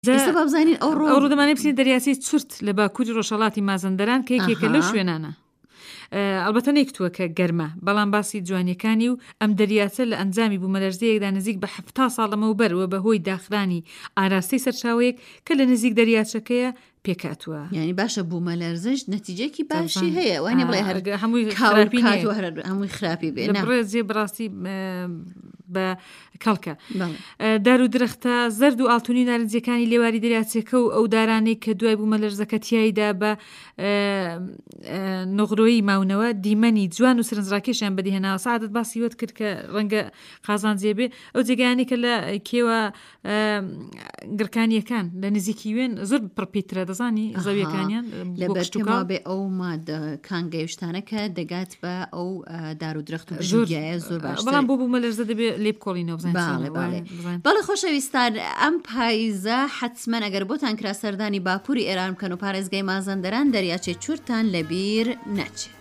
ئێستا با بزانین ئەوڕۆ ئەوڕۆ دەمانەوێت بچینە دەریاچەی چورت لە باکووری ڕۆژهەڵاتی مازەندەران کە یەکێکە لەو ئەها. شوێنانە. ئەڵبەتە نەیکوتووە کە گەرمە، بەڵام باسی جوانییەکانی و ئەم دەریاچە لە ئەنجامی بوومەلەرزەیەکدا نزیک بە 70 ساڵ لەمەوبەر و بە هۆی داخرانی ئاراستەی سەرچاوەیەک کە لە نزیک دەریاچەکەیە پێکهاتووە. یانی باشە بوومەلەرزەش نەتیجەیەکی باشی هەیە وانە بڵێ هەر هەمووی کاول خراپی کات نییە. و هەر هەمووی خراپی بێ لە نا. بڕێ جێ بەڕاستی بە کەڵکە. بەڵێ. دار و درەختە زەرد و ئاڵتونی و نارنجیەکانی لێواری دەریاچەکە و ئەو دارانەی کە دوای بوومەلەرزەکە تیایدا بە نغرۆیی ماونەوە دیمەنی جوان و سەرنجڕاکێشیان بەدیهێناوە سەعادەت باسی وەت کرد کە ڕەنگە قازانجێ بێ ئەو جێگایانەی کە لە کێوە گڕکانیەکان لە نزیکی وێن زۆر پڕپیترە دەزانی زەویەکانیان لەبەر پێم بێ ئەو مادە کانگەیشتانە کە دەگات بە ئەو دار و درەخت و ژورگایە زۆر باش بەڵام بۆ بوومە لەرزە دەبێ لێ بکۆڵینەوە بزانین بەڵێ بەڵێ بەڵێ خۆشەویستان ئەم پاییزە حەتمەن ئەگەر بۆتان کرا سەردانی باکووری ئێران بکەن و پارێزگای مازەندەران دەریاچەی چورتان لەبیر نەچێت.